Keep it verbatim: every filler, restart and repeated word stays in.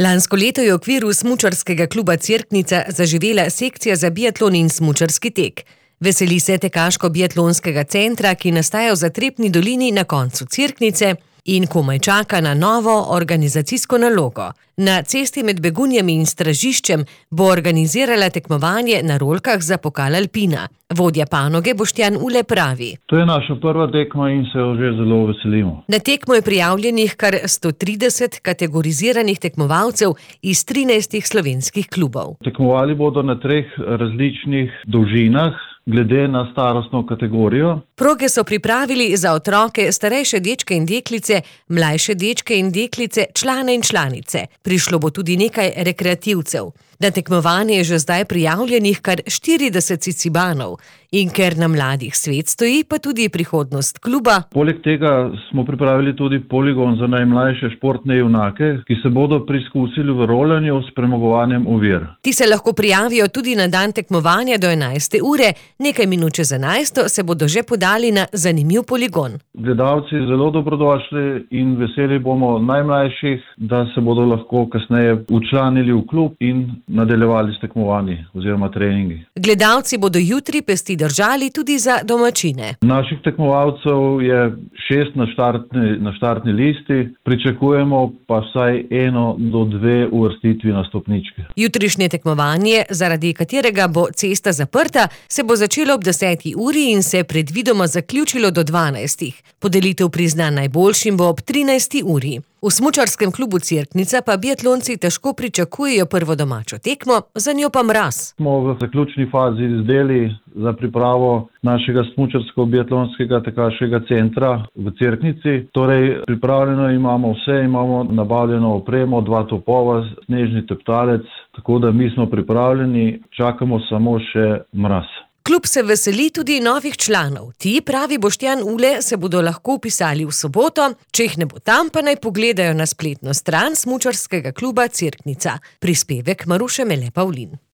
Lansko leto je v okviru smučarskega kluba Cerknica zaživela sekcija za biatlon in smučarski tek. Veseli se tekaško-biatlonskega centra, ki nastaja v Zatrepni dolini na koncu Cerknice in komaj čaka na novo organizacijsko nalogo. Na cesti med Begunjami in Stražiščem bo organizirala tekmovanje na rolkah za pokal Alpina. Vodja panoge Boštjan Ule pravi: To je naša prva tekma in se jo že zelo veselimo. Na tekmo je prijavljenih kar sto trideset kategoriziranih tekmovalcev iz trinajstih slovenskih klubov. Tekmovali bodo na treh različnih dolžinah, glede na starostno kategorijo. Proge so pripravili za otroke, starejše dečke in deklice, mlajše dečke in deklice, člane in članice. Prišlo bo tudi nekaj rekreativcev. Na tekmovanje je že zdaj prijavljenih kar štirideset cicibanov. In ker na mladih svet stoji, pa tudi prihodnost kluba. Poleg tega smo pripravili tudi poligon za najmlajše športne junake, ki se bodo preizkusili v rolanju s premagovanjem ovir. Ti se lahko prijavijo tudi na dan tekmovanja do enajste ure. Nekaj minut čez enajsto se bodo že podali na zanimiv poligon. Gledalci zelo dobrodošli in veseli bomo najmlajših, da se bodo lahko kasneje včlanili v klub in nadaljevali s tekmovanji oziroma treningi. Gledalci bodo jutri pesti držali tudi za domačine. Naših tekmovalcev je šest na štartni, na štartni listi, pričakujemo pa vsaj eno do dve uvrstitvi na stopničke. Jutrišnje tekmovanje, zaradi katerega bo cesta zaprta, se bo začelo ob deseti uri in se predvidoma zaključilo do dvanajstih. Podelitev priznanj najboljšim bo ob trinajsti uri. V smučarskem klubu Cerknica pa biatlonci težko pričakujejo prvo domačo tekmo, za njo pa mraz. Smo v zaključni fazi izdeli za pripravo našega smučarsko-biatlonskega tekaškega centra v Cerknici. Torej, pripravljeno imamo vse, imamo nabavljeno opremo, dva topova, snežni teptalec, tako da mi smo pripravljeni, čakamo samo še mraz. Klub se veseli tudi novih članov. Ti, pravi Boštjan Ule, se bodo lahko vpisali v soboto, če jih ne bo tam, pa naj pogledajo na spletno stran smučarskega kluba Cerknica. Prispevek Maruše Mele Pavlin.